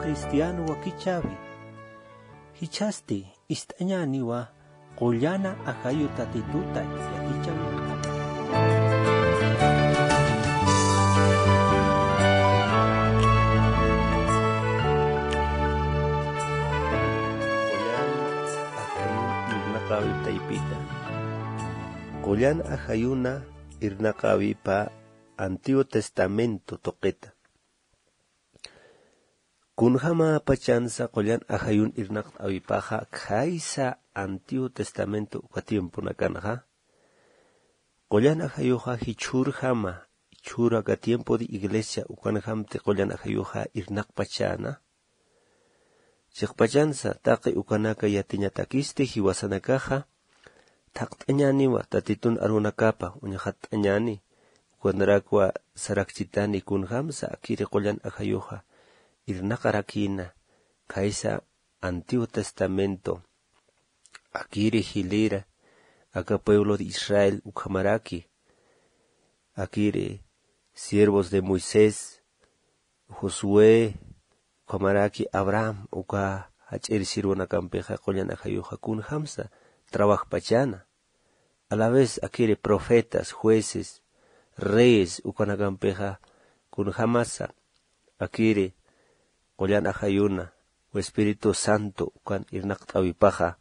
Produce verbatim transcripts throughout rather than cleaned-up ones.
Cristiano wakichäwi. Jichhasti ist'añäniwa qullana ajayu Tatituta yatichäwinakapa. Qullan ajayun irnaqäwip taypita. Qullan ajayuna irnaqäwipa Antiguo Testamento tuqita. Kunjämapachansa qullan ajayun irnaqt'äwipaxa khaysa Antiguo Testamento uka tiemponakanxa. Qullan ajayuxa jichhürjama, jichhür aka tiempo de iglesia ukanjamti qullan ajayuxa irnaqpachäna. Chiqpachansa taqi ukanaka yatiñatakisti jiwasanakaxa, thaqt'añäniwa Tatitun arunakapa uñxatt'añäni, ukanarakwa sarakchitani kunjamsa akiri qullan ajayuxa irnaqarakïna, khaysa Antiguo Testamento, akiri jilïra, aka pueblo de Israel ukhamaraki, akiri siervos de Moisés, Josué, ukhamaraki Abraham, uka jach'ir sirwanakampixa qullan ajayuxa kunjamsa trabajpachäna. A la vez akiri profetas, jueces, reyes ukanakampixa kunjamasa akiri qullan ajayuna o Espíritu Santo ukan irnaqt'äwipaxa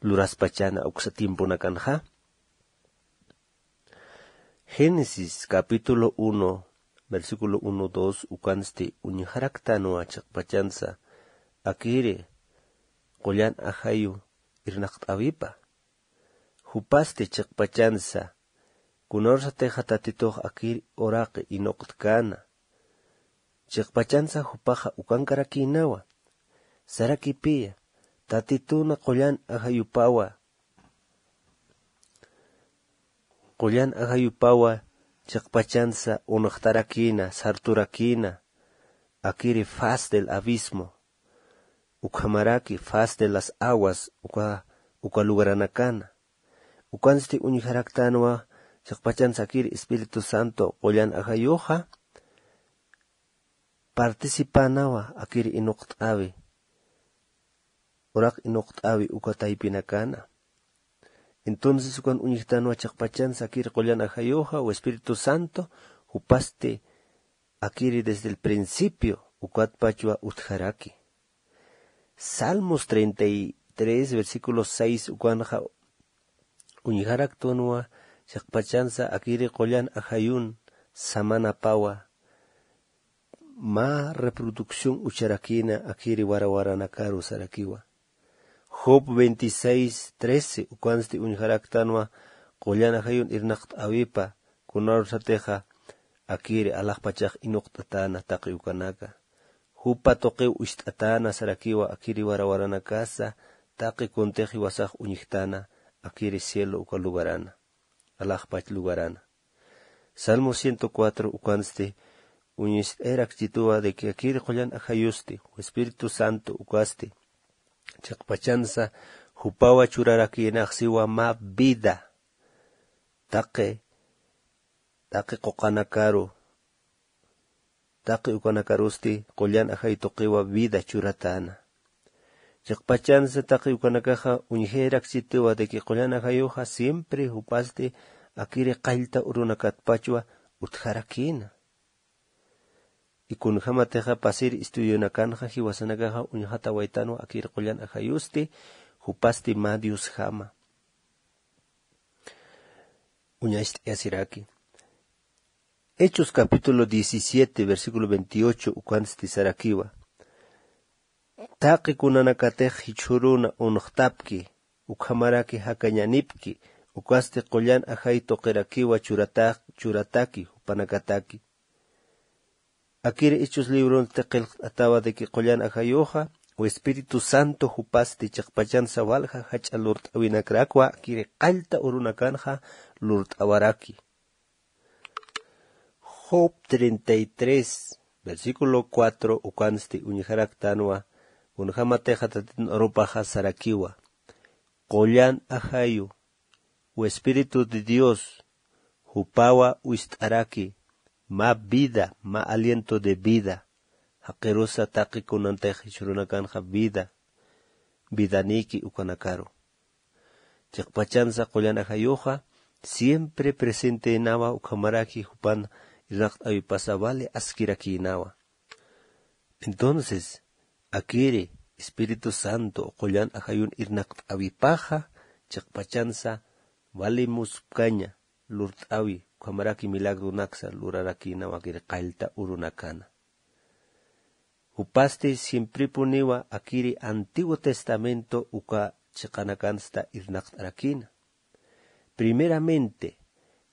luraspachäna uksa tiemponakanxa. Génesis capítulo uno, versículo uno, dos, ukansti uñjaraktanwa chiqpachansa akiri qullan ajayu irnaqt'äwipa. Jupasti chiqpachansa, kunawsatixa Tatitux akiri uraqi inuqtkäna. Chiqpachansa jupaxa ukankarakïnawa. Sarakipiya, Tatituna qullan ajayupawa. Qullan ajayupawa chiqpachansa unuqtarakïna, sarturakïna, akiri faz del abismo, ukhamaraki faz de las aguas, uka, uka lugaranakana. Ukansti uñjaraktanwa chiqpachansa akiri Espíritu Santo qullan ajayuxa, participanawa akiri inuqt'äwi, uraq inuqt'äwi uka taypinakana. Entonces ukan uñjtanwa chiqpachansa akiri qullan ajayuxa o Espíritu Santo, jupasti akiri desde el principio ukatpachwa utjaraki. Salmos treinta y tres, versículo seis ukanxa uñjaraktanwa chiqpachansa akiri qullan ajayun samanapawa, mä reproducción ucharakïna akiri warawaranakaru sarakiwa. Job veintiséis trece ukansti uñjaraktanwa qullan ajayun irnaqt'äwipa, kunawsatixa akiri alaxpachax inuqt'atäna taqi ukanaka. Jupa tuqiw ist'atäna sarakiwa akiri warawaranakasa, taqi kuntix jiwasax uñjtäna akiri cielo uka lugarana, alaxpach lugarana. Salmo ciento cuatro ukansti uñist'ayarakchituwa de que akiri qullan ajayusti, Espíritu Santo ukasti, chiqpachansa jupawa churarakïnax siwa mä vida, taqi, taqi quqanakaru, taqi ukanakarusti qullan ajay tuqiwa vida churatäna. Chiqpachansa taqi ukanakaxa uñjayarakchituwa de que qullan ajayuxa siempre jupasti akiri qallta urunakatpachwa utjarakïna. Y kunjämatixa pasir estudionakanxa jiwasanakaxa uñjatawaytanwa akiri qullan ajayusti, jupasti mä Diosjama. Uñacht'ayasiraki. Hechos capítulo diecisiete, versículo veintiocho, ukansti sarakiwa. Taqi kunanakatix jichhüruna unuqtapki, ukhamaraki jakañanipki, ukasti qullan ajay tuqirakiwa churata-, churataki, jupanakataki. Akiri Hechos libronsti qillqt'atawa de que qullan ajayuxa, o Espíritu Santo jupasti chiqpachansa walja jach'a lurt'äwinakrakwa, akiri qallta urunakanxa lurt'awaraki. Job treinta y tres, versículo cuatro, ukansti uñjaraktanwa, kunjämatixa Tatitun arupaxa sarakiwa. Qullan ajayu, o Espíritu de Dios, jupawa uñst'araki, mä vida, mä aliento de vida. Jaqirusa taqi kunantix jichhürunakanxa vida vidanïki ukanakaru. Chiqpachansa qullan ajayuxa siempre presenteynawa ukhamaraki jupan irnaqt'äwipasa vale askirakïnawa. Entonces akiri espíritu santo qullan ajayun irnaqt'äwipaxa chiqpachansa vale muspkaña lurt'äwi ukhamaraki milagronaksa lurarakïnawa akiri qallta urunakana. Jupasti siemprepuniwa akiri antiguo testamento uka chiqanakansta irnaqt'arakïna. Primeramente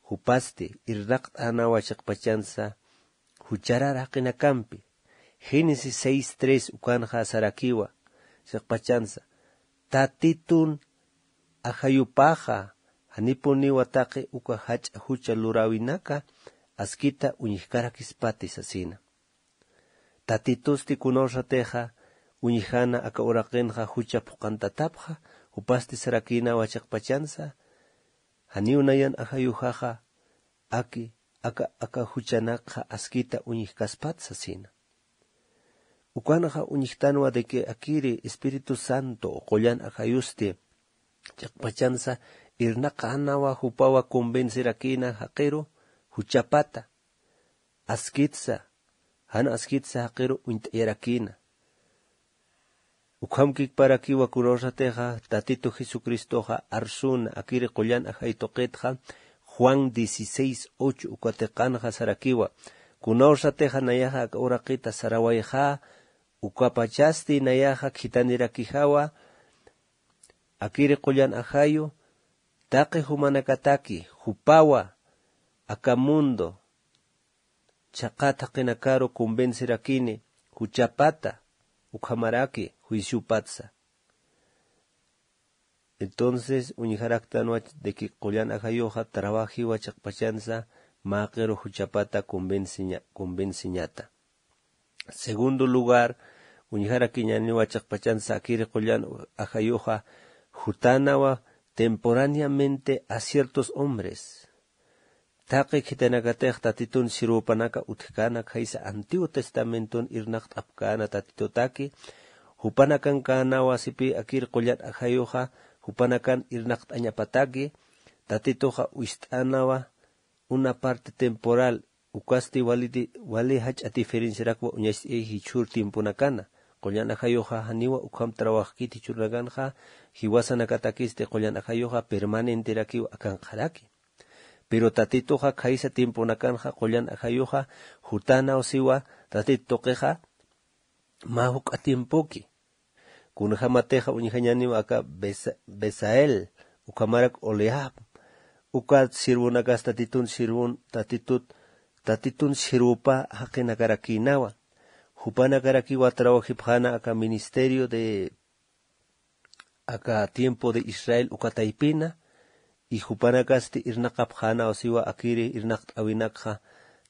jupasti irnaqt'änawa chiqpachansa jucharar jaqinakampi. Génesis seis tres ukanxa sarakiwa chiqpachansa tatitun ajayupaxa janipuniwa taqi uka jach'a jucha luräwinaka askita uñjkarakispati sasina. Tatitusti kunawsatixa uñjana aka uraqinxa jucha phuqantatapxa. Jupasti sarakïnawa chiqpachansa janiw nayan ajayuxaxa aki aka aka juchanakxa askita uñjkaspat sasina. Ukanxa uñjtanwa de que akiri espíritu santo qullan ajayusti chiqpachansa irnaqänawa jupawa convencerakïna jaqiru juchapata askitsa jan askitsa jaqiru uñt'ayarakïna. Ukham kikparakiwa kunawsatixa tatitu jesucristoxa arsuna akiri qullan ajay tuqitxa juan dieciséis ocho uka tiqanxa sarakiwa kunawsatixa nayaxa aka uraqita sarawayxä ukapachasti nayaxa khithanirakijawa akiri qullan ajayu taqi jumanakataki jupawa aka mundo chhaqat jaqinakaru convencerakini juchapata ukhamaraki juiciopatsa. Entonces uñjaraktanwa de que qullan ajayuxa trabajiwa chiqpachansa mä qiru juchapata convenceñata. Segundo lugar uñjarakiñaniwa chiqpachansa akiri qullan ajayuxa jutanawa temporáneamente a ciertos hombres. Taqi khitinakatix tatitun sirwupanaka utjkana khaysa antiguo testamenton irnaqt'apkäna tatitutaki jupanakankänawa sipi akir qullan ajayuxa jupanakan irnaqt'añapataki tatituxa wist'anawa una parte temporal ukasti wali jach'a diferenciarakwa uñacht'ayay jichhür tiemponakana. Qullan ajayuxa janiwa ukham trabajkiti jichhürunakanxa jiwasanakatakisti qullan ajayuxa permanenterakiw akanqharaki. Pero tatituxa khaysa tiemponakanxa qullan ajayuxa jutanaw siwa tatit tuqixa mä juk'a tiempoki. Kunjämatixa uñjañaniw aka besael ukhamarak oleab uka sirvunakas tatitun sirvun tatitut tatitun sirvupa jaqinakarakïnawa. Jupanakarakiwa trawajipxäna aka ministerio de aka tiempo de israel uka taypina. Y jupanakasti irnaqapxänaw siwa akiri irnaqt'äwinakxa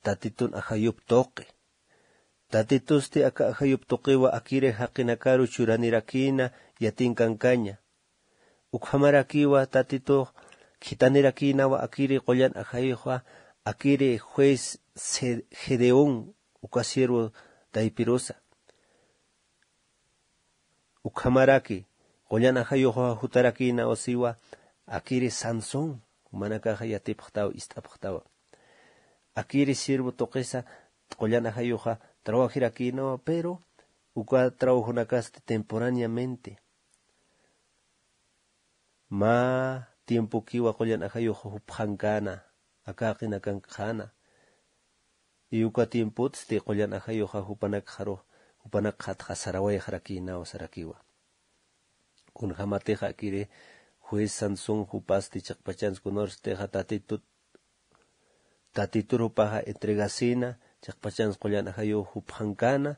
tatitun ajayup tuqi. Tatitusti aka ajayup tuqiwa akiri jaqinakaru churanirakïna yatinkankaña. Ukhamarakiwa tatitux khitanirakïnawa akiri qullan ajayuxwa akiri juez gedeón uka siervo taypirusa. Ukhamaraki qullan ajayuxwa jutarakïnaw siwa akiri sansón jumanakaxa yatipxtaw ist'apxtawa. Akiri siervo tuqisa qullan ajayuxa trawajirakïnawa pero uka trawajonakasti temporáneamente mä tiempokiwa qullan ajayuxa jupxankäna aka jaqinakankxäna. Y uka tiempotsti qullan ajayuxa jupanakxaru jupanakxatxa sarawayxarakïnaw sarakiwa. Kunjämatixa akiri juez sansón jupasti chiqpachans kunawsatixa tatitut tatitur jupaxa entregasïna chiqpachans qullan ajayuw jupxankäna.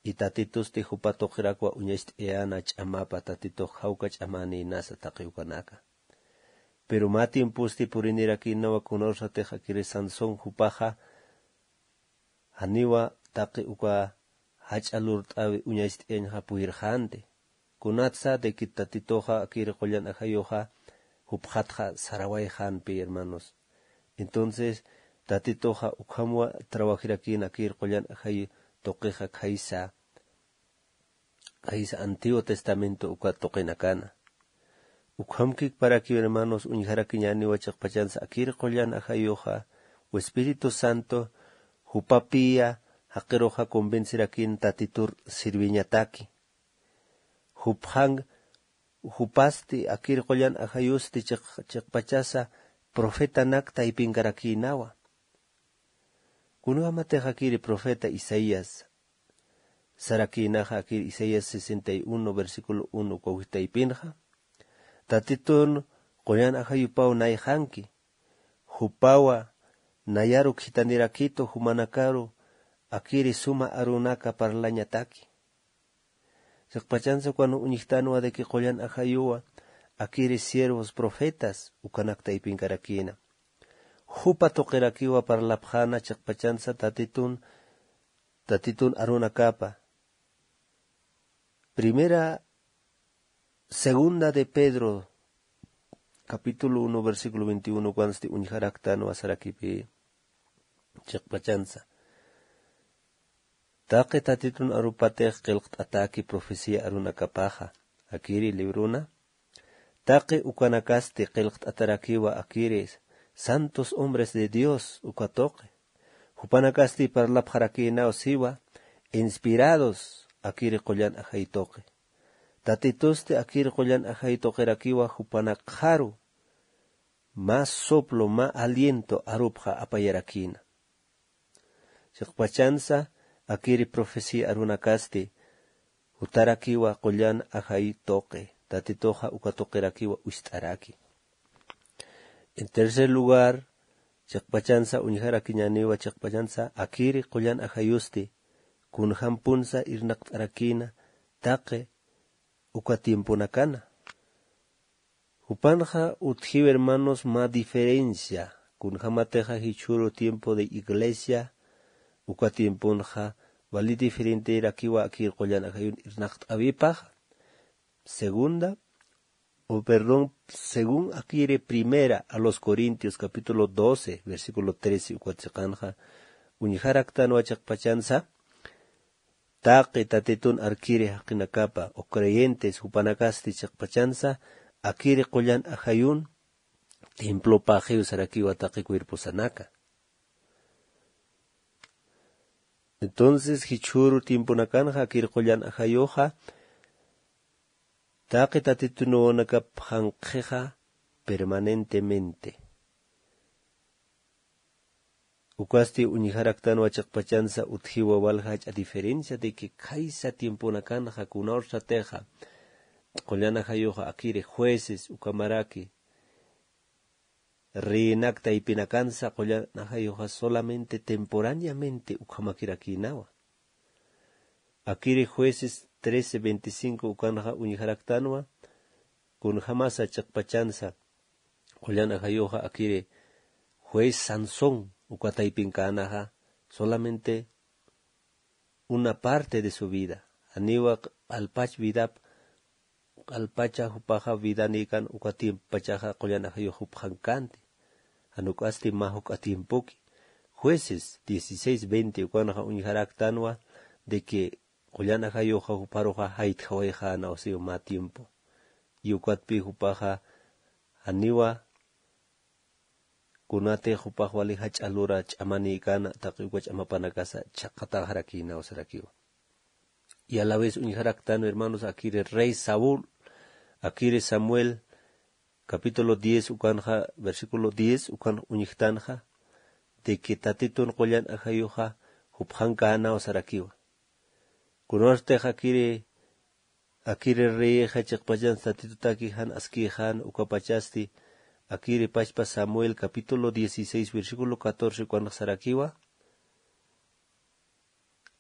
Y tatitusti jupa tuqirakwa uñacht'ayäna ch'amapa tatitux jawka ch'amänïnasa taqi ukanaka. Pero mä tiemposti purinirakïnawa kunawsatix akiri sansón jupaxa janiwa taqi uka jach'a lurt'äwi uñacht'ayañxa puyirxänti. Kunatsa de que tatituxa akir qullan ajayuxa jupxatxa sarawayxänpi hermanos. Entonces tatituxa ukhamwa trawajirakïna akir qullan ajayu tuqixa khaysa, khaysa Antiguo Testamento uka tuqinakana. Ukhamkik para que hermanos uñjarakiñäniwa chiqpachansa akir qullan ajayuxa, u Espíritu Santo, jupapiya jaqiruxa convencerakin Tatitur sirviñataki. Jupxan, jupasti akir qullan ajayusti chiq-, chiqpachasa profetanak taypinkarakïnawa. Kunjamatix akiri profeta Isaías sarakïnaxa, akiri Isaías sesenta y uno, versículo uno, uka taypinxa. Tatitun qullan ajayupaw nayxanki. Jupawa nayaru khithanirakitu jumanakaru akiri suma arunaka parlañataki. Chiqpachansa ukan uñjtanwa de que qullan ajayuwa akiri siervos profetas ukanak taypinkarakïna. Jupa tuqirakiwa parlapxäna chiqpachansa Tatitun, Tatitun arunakapa. Primera, segunda de Pedro, capítulo uno, versículo veintiuno, ukansti uñjaraktanwa sarakipï chiqpachansa. Taqi Tatitun arupatix qillqt'ataki profecía arunakapaxa, akiri libruna. Taqi ukanakasti qillqt'atarakiwa akiri santos hombres de Dios uka tuqi. Jupanakasti parlapxarakïnaw siwa, inspirados akiri qullan ajay tuqi. Tatitusti akiri qullan ajay tuqirakiwa jupanakxaru mä soplo, mä aliento arupxa apayarakïna. Chiqpachansa akiri profecía arunakasti jutarakiwa qullan ajay tuqi, Tatituxa uka tuqirakiwa ucht'araki. En tercer lugar, chiqpachansa uñjarakiñäniwa chiqpachansa akiri qullan ajayusti kunjampunsa irnaqt'arakïna taqi uka tiemponakana. Jupanxa utjiw hermanos mä diferencia, kunjamatixa jichhüru tiempo de iglesia, uka tiemponxa wali diferenterakiwa akir qullan ajayun irnaqt'äwipaxa. Segunda, o perdón, según akiri primera a los Corintios capítulo doce, versículo trece, ukat chiqanxa, uñjaraktanwa chiqpachansa, taqi Tatitun arkiri jaqinakapa, o creyentes jupanakasti chiqpachansa, akiri qullan ajayun, templopaxiw sarakiwa taqi cuerposanaka. Entonces, jichhüru tiemponakanxa, akiri qullan ajayuxa, taqi Tatitunuwanakap janq'ixa permanentemente. Ukasti uñjaraktanwa chiqpachansa utjiwa walja jach'a diferencia de que khaysa tiemponakanxa kunawsatixa qullan ajayuxa akiri jueces ukamaraki reinak taypinakansa qullan ajayuxa solamente temporáneamente ukhamakirakïnawa. Akiri Jueces trece veinticinco ukanxa uñjaraktanwa, kunjamasa chiqpachansa qullan ajayuxa akiri juez Sansón uka taypinkanaxa solamente una parte de su vida, janiwa q'alpach vidap, q'alpacha jupaxa vidanikan uka tiempopachaxa qullan ajayux jupxankänti, jan uk'asti mä juk'a tiempoki. Jueces dieciséis veinte ukanxa uñjaraktanwa de que qullan ajayuxa juparuxa jaytjawayxänaw siw mä tiempo. Y ukatpï jupaxa janiwa kunatix jupax wali jach'a lura ch'amanïkana taqi uka ch'amapanakasa chhaqataxarakïnaw sarakiwa. Y a la vez uñjaraktan hermanos akiri rey Saúl, akiri Samuel, capítulo diez ukanxa, versículo diez ukan uñjtanxa, de que Tatitun qullan ajayuxa jupxankänäw sarakiwa. Kunawstix akiri, akiri reyixa chiqpachansa Tatitutaki jan askïxän ukapachasti, akiri pachpa Samuel capítulo dieciséis versículo catorce ukanxa sarakiwa,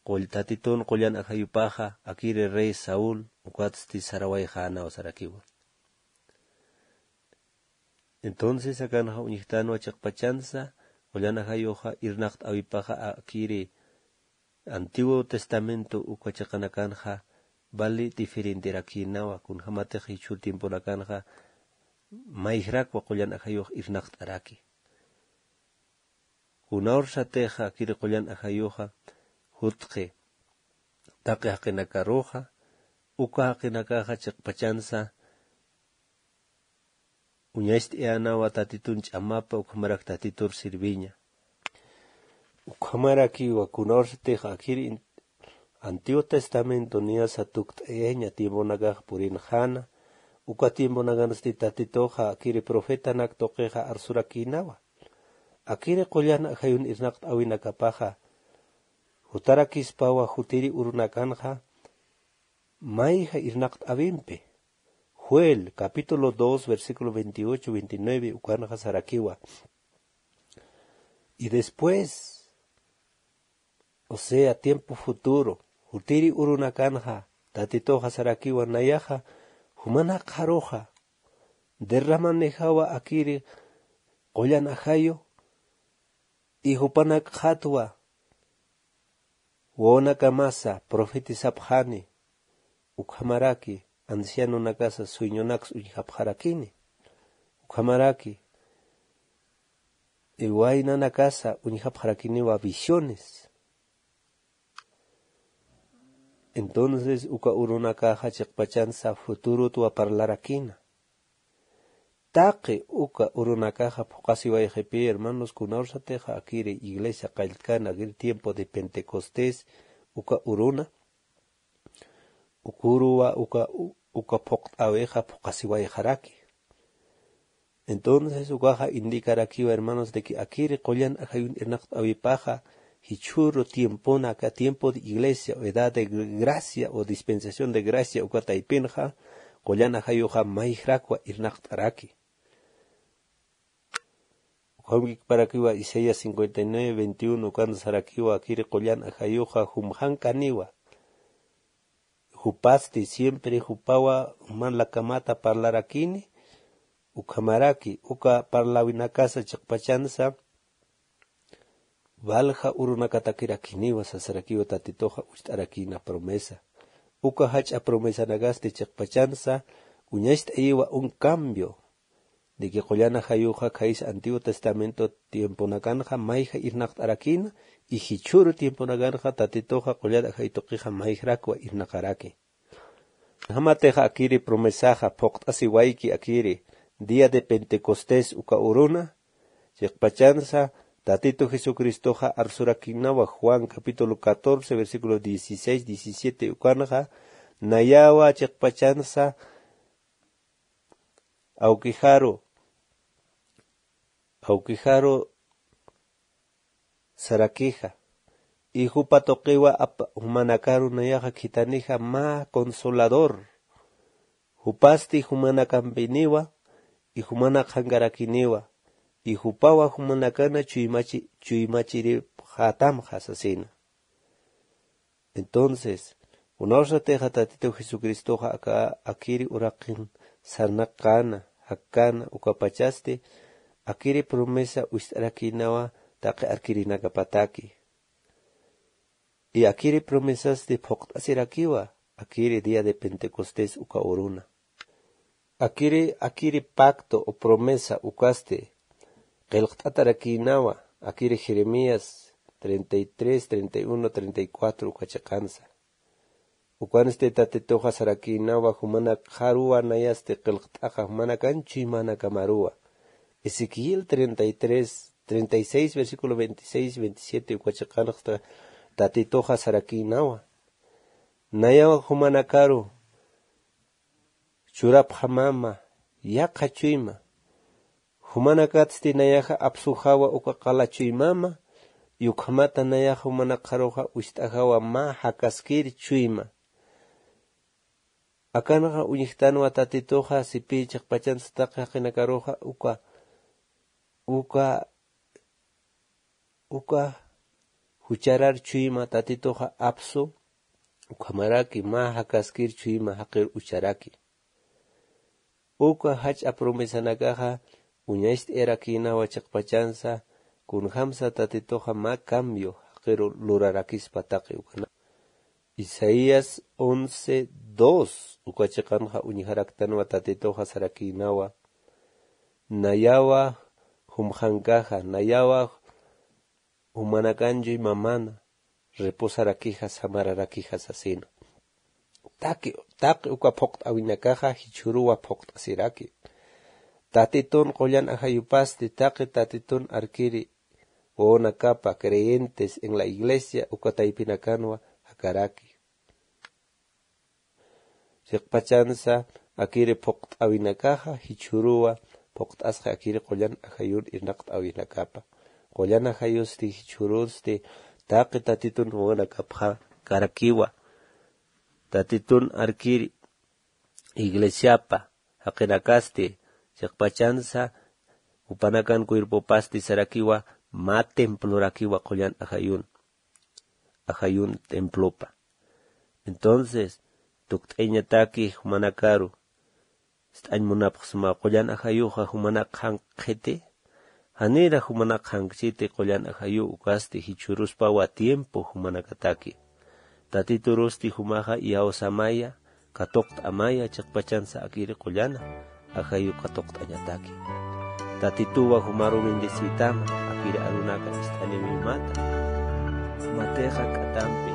qull-, Tatitun qullan ajayupaxa, akiri rey Saúl, ukatsti sarawayxänaw sarakiwa. Entonces, akanxa uñjtanwa chiqpachansa, qullan ajayuxa irnaqt'äwipaxa akiri Antiguo Testamento uka chiqanakanxa, vali diferenterakïnawa, kunjamatix jichhür tiemponakanxa, mayjrakwa qullan ajayux irnaqt'araki. Kunawrsatixa akiri qullan ajayuxa, jutqi, taqi jaqinakaruxa, uka jaqinakaxa chiqpachansa uñacht'ayänawa Tatitun ch'amapa, ukhamarak Tatitur sirviña. Ukhamarakiwa kunawsatix akir in-, Antiguo Testamento niyasa tukt'ayaña tiemponakax purinxäna, uka tiemponakansti Tatituxa akiri profetanak tuqixa arsurakïnawa. Akiri qullan ajayun irnaqt'äwinakapaxa jutarakispawa jutiri urunakanxa mayja irnaqt'äwimpi. Joel, capítulo dos, versículo veintiocho, veintinueve, ukanxa sarakiwa. Y después, o sea, tiempo futuro, jutiri urunakanxa, Tatituxa sarakiwa nayaxa, jumanak qharuxa, derramanijawa akiri qullan ajayu, y jupanakxatwa, wawanakamasa profetizapxani, ukhamaraki ancianonakasa sueñonaks uñjapxarakini, ukhamaraki waynanakasa uñjapxarakiniwa visiones. Entonces uka urunakaxa chiqpachansa futurotwa parlarakina. Taqi uka urunakaxa phuqasiwayxipi, hermanos, kunawsatixa akiri iglesia qalltkana, akiri tiempo de Pentecostés, uka uruna, uka uruwa, uka, u-, uka phuqt'äwixa phuqasiwayxaraki. Entonces ukaxa indicarakiwa, hermanos, de que akiri qullan ajayun irnaqt'äwipaxa, jichhüru tiempona aka tiempo de iglesia, o edad de gracia, o dispensación de gracia, uka taypinxa, qullan ajayuxa mayjrakwa irnaqt'araki. Ukham kikparakiwa Isaías cincuenta y nueve veintiuno, ukan sarakiwa akiri qullan ajayuxa jumxankaniwa. Jupasti siempre jupawa juman lakamata parlarakini, ukhamaraki, uka parläwinakasa chiqpachansa, walja urunakatakirakiniwa sasarakiwa Tatituxa ucht'arakina promesa. Uka jach'a promesanakasti chiqpachansa, uñacht'ayiwa un cambio, de que qullan ajayuxa khaysa Antiguo Testamento tiemponakanxa mayja irnaqt'arakina, y jichhüru tiemponakanxa Tatituxa qullan ajay tuqixa mayjrakwa irnaqaraki. Jamatixa akiri promesaxa phuqt'asiwayki akiri día de Pentecostés uka uruna, chiqpachansa Tatitu Jesucristoxa arsurakinawa Juan capítulo catorce, versículo dieciséis, diecisiete ukanxa, nayawa chiqpachansa awkijaru, awkijaru sarakixa. Y jupa tuqiwa ap-, jumanakaru nayaxa khithanixa mä consolador. Jupasti jumanakampiniwa, y jumanak qhankarakiniwa, y jupawa jumanakana chuymachi-, chuymachiripxätamxa sasina. Entonces, kunawsatixa Tatitu Jesucristoxa aka akiri uraqin sarnaqäna, jakkana, ukapachasti, akiri promesa ucht'arakinawa taqi arkirinakapataki. Y akiri promesasti phuqt'asirakiwa, akiri día de Pentecostés uka uruna. Akiri, akiri pacto o promesa ukasti qillqt'atarakïnawa, akiri Jeremías treinta y tres, treinta y uno, treinta y cuatro uka chiqansa. Ukansti Tatituxa sarakïnawa, jumanakxaruwa nayasti qillqt'axa, jumanakan chuymanakamaruwa. Ezequiel treinta y tres, treinta y seis, versículo veintiséis, veintisiete uka chiqanxa Tatituxa sarakïnawa. Nayawa jumanakaru churapxamama yaqha chuyma. Jumanakatsti nayaxa apsuxawa uka qala chuymama, y ukhamata nayaxa jumanakxaruxa ucht'ajawa mä jakaskir chuyma. Akanxa uñjtanwa Tatituxa sipï chiqpachansa taqi jaqinakaruxa uka, uka uka jucharar chuyma Tatituxa apsu, ukhamaraki mä jakaskir chuyma jaqir ucharaki. Uka jach'a promesanakaxa uñacht'ayarakïnawa chiqpachansa, kunjamsa Tatituxa mä cambio jaqiru lurarakispa taqi ukana. Isaías once dos uka chiqanxa uñjaraktanwa Tatituxa sarakïnawa. Nayawa jumxankaxa, nayawa jumanakan chuymamana, reposarakija, samararakija sasina. Taqi taqi uka phuqt'awinakaxa jichhüruwa phuqt'asiraki. Tatitun qullan ajayupasti taqi tatitun arkiri wawanakapa creyentes en la iglesia uka taypinakanwa jakaraki. Chiqpachansa akiri phuqt'awinakaxa jichhüruwa phuqt'asxi akiri qullan ajayun irnaqt'awinakapa. Qullan ajayusti jichhürusti taqi tatitun wawanakapxa karakiwa. Tatitun arkiri iglesiapa jaqinakasti chiqpachansa jupanakan cuerpopasti sarakiwa mä templorakiwa qullan ajayun ajayun templopa. Entonces tukt'ayañataki jumanakaru ist'añ munapxsma qullan ajayuxa jumanak qhank qhiti. Janira jumanak qhankchiti qullan ajayu ukasti jichhüruspawa tiempo jumanakataki. Tatiturusti jumaxa iyawsamaya katuqt'amaya chiqpachansa akiri qullana ajayu katuqt'añataki. Tatituwa jumaru bendecitama akiri arunaka ist'aniwimata. Matixa k'atampi